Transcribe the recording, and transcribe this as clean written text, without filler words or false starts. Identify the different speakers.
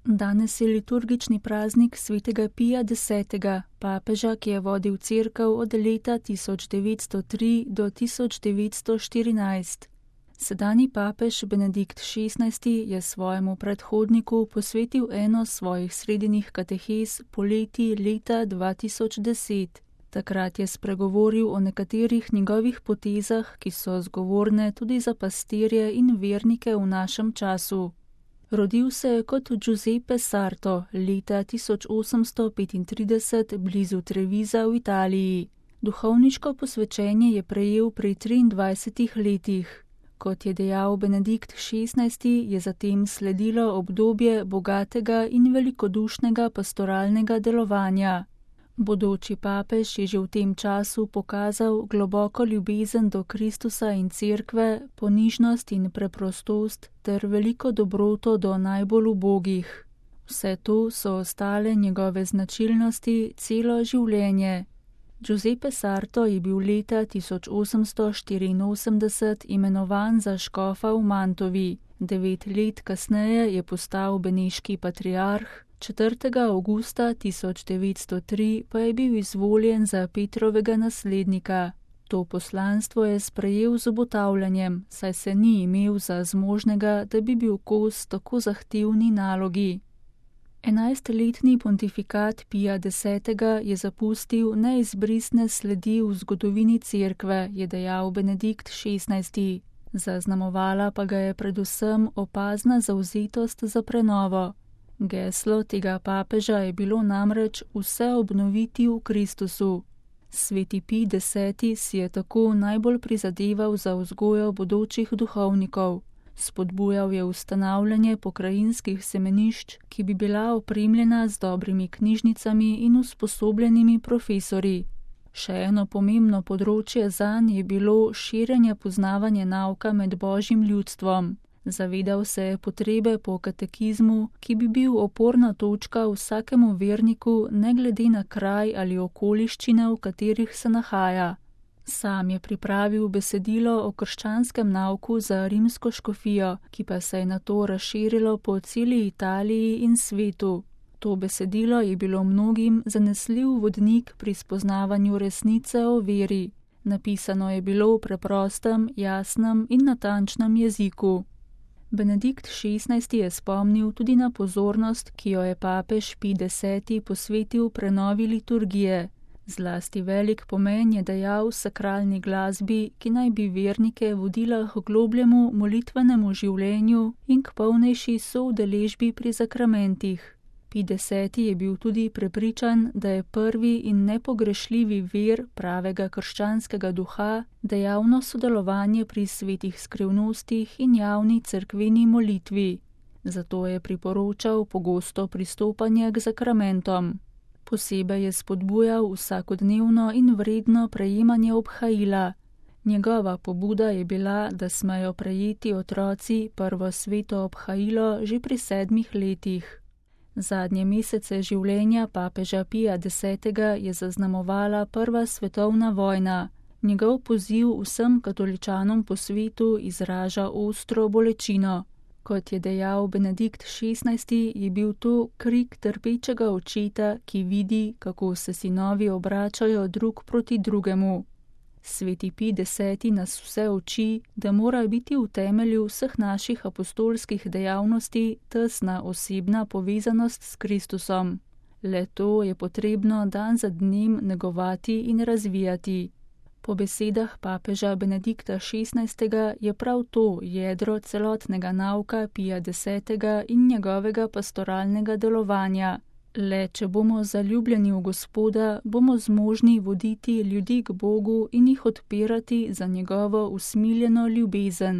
Speaker 1: Danes je liturgični praznik svetega Pija X., papeža, ki je vodil cerkev od leta 1903 do 1914. Sedanji papež Benedikt XVI. Je svojemu predhodniku posvetil eno svojih sredinjih katehez poleti leta 2010. Takrat je spregovoril o nekaterih njegovih potezah, ki so zgovorne tudi za pastirje in vernike v našem času. Rodil se je kot Giuseppe Sarto leta 1835 blizu Trevisa v Italiji. Duhovniško posvečenje je prejel pri 23 letih. Kot je dejal Benedikt XVI., je zatem sledilo obdobje bogatega in velikodušnega pastoralnega delovanja. Bodoči papež je že v tem času pokazal globoko ljubezen do Kristusa in cerkve, ponižnost in preprostost ter veliko dobroto do najbolj ubogih. Vse to so ostale njegove značilnosti celo življenje. Giuseppe Sarto je bil leta 1884 imenovan za škofa v Mantovi. 9 let kasneje je postal beneški patriarh, 4. avgusta 1903 pa je bil izvoljen za Petrovega naslednika. To poslanstvo je sprejel z obotavljanjem, saj se ni imel za zmožnega, da bi bil kos tako zahtevni nalogi. 11-letni pontifikat Pija X. je zapustil neizbrisne sledi v zgodovini cerkve, je dejal Benedikt XVI. Zaznamovala pa ga je predvsem opazna zavzetost za prenovo. Geslo tega papeža je bilo namreč vse obnoviti v Kristusu. Sveti Pij X. si je tako najbolj prizadeval za vzgojo bodočih duhovnikov. Spodbujal je ustanavljanje pokrajinskih semenišč, ki bi bila opremljena z dobrimi knjižnicami in usposobljenimi profesorji. Še eno pomembno področje zanj je bilo širjenje poznavanja nauka med božjim ljudstvom. Zavedal se je potrebe po katekizmu, ki bi bil oporna točka vsakemu verniku, ne glede na kraj ali okoliščine, v katerih se nahaja. Sam je pripravil besedilo o krščanskem nauku za rimsko škofijo, ki pa se je nato razširilo po celi Italiji in svetu. To besedilo je bilo mnogim zanesljiv vodnik pri spoznavanju resnice o veri. Napisano je bilo v preprostem, jasnem in natančnem jeziku. Benedikt XVI. Je spomnil tudi na pozornost, ki jo je papež Pij X. posvetil prenovi liturgije. Zlasti velik pomen je dajal sakralni glasbi, ki naj bi vernike vodila k globljemu molitvenemu življenju in k polnejši soudeležbi pri zakramentih. Pij X. je bil tudi prepričan, da je prvi in nepogrešljivi vir pravega krščanskega duha dejavno sodelovanje pri svetih skrivnostih in javni cerkveni molitvi. Zato je priporočal pogosto pristopanje k zakramentom. Posebej je spodbujal vsakodnevno in vredno prejemanje obhajila. Njegova pobuda je bila, da smejo prejeti otroci prvo sveto obhajilo že pri 7 letih. Zadnje mesece življenja papeža Pija X. je zaznamovala prva svetovna vojna. Njegov poziv vsem katoličanom po svetu izraža ostro bolečino. Kot je dejal Benedikt XVI., je bil to krik trpečega očeta, ki vidi, kako se sinovi obračajo drug proti drugemu. Sveti Pij X. nas vse uči, da mora biti v temelju vseh naših apostolskih dejavnosti tesna osebna povezanost s Kristusom. Le to je potrebno dan za dnem negovati in razvijati. Po besedah papeža Benedikta XVI. Je prav to jedro celotnega nauka Pija X. in njegovega pastoralnega delovanja. Le če bomo zaljubljeni v Gospoda, bomo zmožni voditi ljudi k Bogu in jih odpirati za njegovo usmiljeno ljubezen.